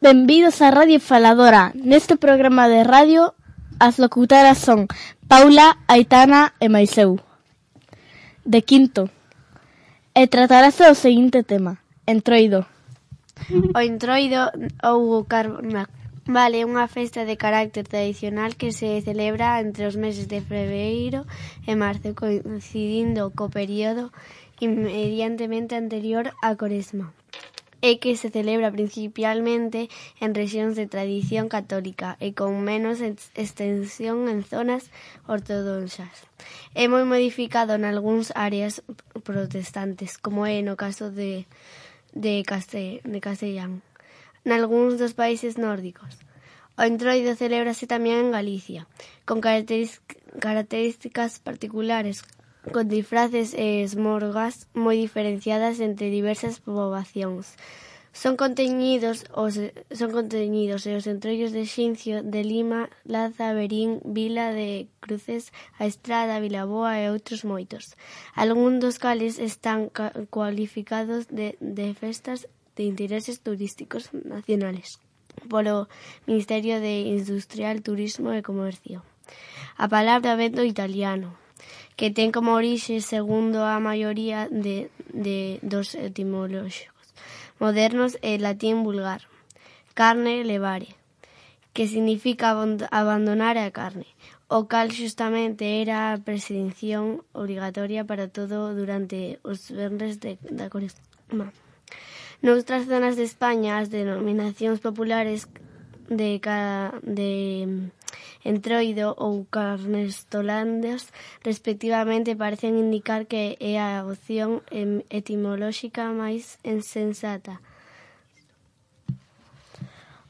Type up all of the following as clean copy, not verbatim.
Benvidos á Radio Faladora. Neste programa de radio, as locutoras son Paula, Aitana e mais eu, de quinto. E tratarase o seguinte tema: Entroido. O Entroido ou Carnaval é unha festa de carácter tradicional que se celebra entre os meses de febreiro e marzo, coincidindo co período inmediatamente anterior á Coresma, e que se celebra principalmente en rexións de tradición católica e con menos extensión en zonas ortodoxas. É moi modificado nalgúns áreas protestantes, como é no caso de Castellán, nalgúns dos países nórdicos. O Entroido celébrase tamén en Galicia, con características particulares, con disfraces e esmorgas moi diferenciadas entre diversas poboacións. Son contenidos e os entroidos de Xincio, de Lima, Laza, Verín, Vila de Cruces, A Estrada, Vilaboa e outros moitos. Algúns dos cales están cualificados de festas de intereses turísticos nacionales polo Ministerio de Industrial, Turismo e Comercio. A palabra vén do italiano, que ten como orixe, segundo a maioría dos etimolóxicos modernos, e latín vulgar, carne levare, que significa abandonar a carne, o cal xustamente era a prescrición obrigatoria para todo durante os venres da Coresma. Noutras zonas de España, as denominacións populares de Entroido ou Carnestolandas, respectivamente, parecen indicar que é a opción etimolóxica máis insensata.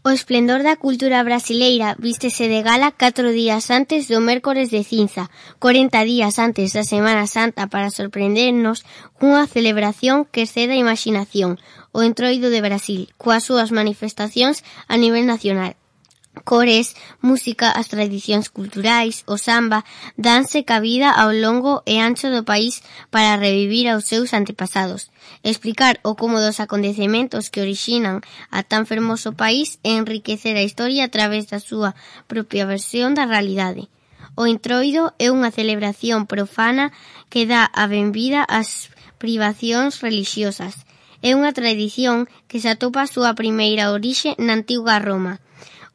O esplendor da cultura brasileira vístese de gala 4 días antes do mércores de cinza, 40 días antes da Semana Santa, para sorprendernos cunha celebración que excede a imaginación, o Entroido de Brasil, coas súas manifestacións a nivel nacional. Cores, música, as tradicións culturais, o samba, danse cabida ao longo e ancho do país para revivir aos seus antepasados, explicar o como dos acontecementos que orixinan a tan fermoso país e enriquecer a historia a través da súa propia versión da realidade. O Entroido é unha celebración profana que dá a benvida ás privacións relixiosas. É unha tradición que se atopa a súa primeira orixe na antiga Roma,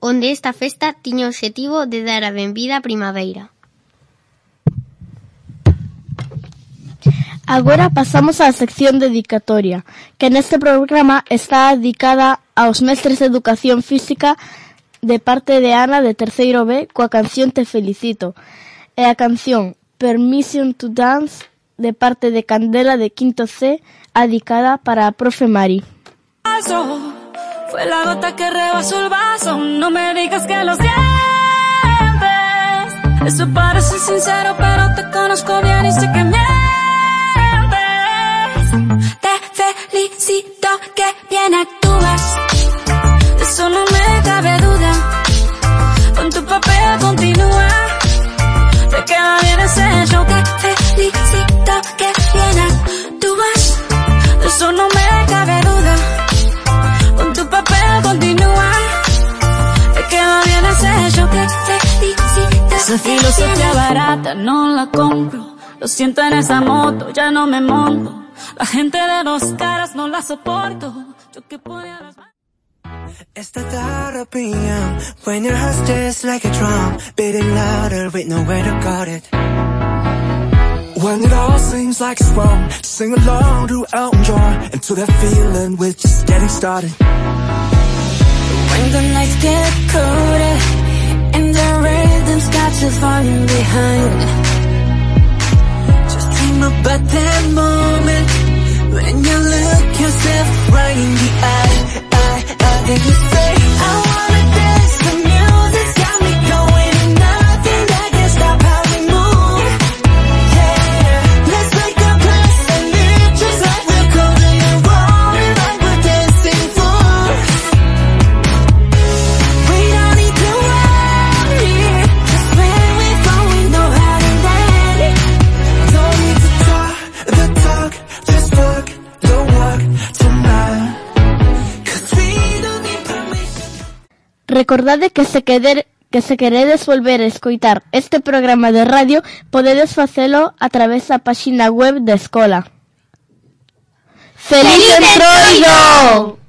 onde esta festa tiña o obxectivo de dar a benvida á primavera. Agora pasamos á sección dedicatoria, que neste programa está dedicada aos mestres de educación física de parte de Ana, de terceiro B, coa canción Te felicito, e a canción Permission to Dance de parte de Candela, de quinto C, dedicada para a profe Mari. Fue la gota que rebasó el vaso, no me digas que lo sientes. Eso parece sincero, pero te conozco bien y sé que mientes. Te felicito, que bien actúas, de eso no me cabe duda. Con tu papel continúa, te queda bien ese show. Te felicito, que bien actúas, de eso no me cabe duda. Con tu papel continúa, te queda bien ese show. Te felicito. Esa filosofía barata no la compro, lo siento en esa moto, ya no me monto. La gente de dos caras no la soporto, yo que ponía las manos. It's the thought of PM, when your heart's just like a drum, beating louder with nowhere to guard it. When it all seems like it's wrong, sing along to Elton John, and to that feeling we're just getting started. When the nights get colder, and the rhythm's got you falling behind, just dream about that moment, when you look yourself right in the eye, then you say, I wanna dance, the music's got me going, and nothing that can stop how we move. Yeah, let's make a place and live just like we're golden and rolling like we're dancing fools. We don't need to worry, just when we fall we know how to land. Don't need to talk the talk, just walk the walk tonight. 'Cause we don't need permission. Recordade que se queredes volver a escoitar este programa de radio, podedes facelo a través da páxina web da escola. ¡Feliz Entroido!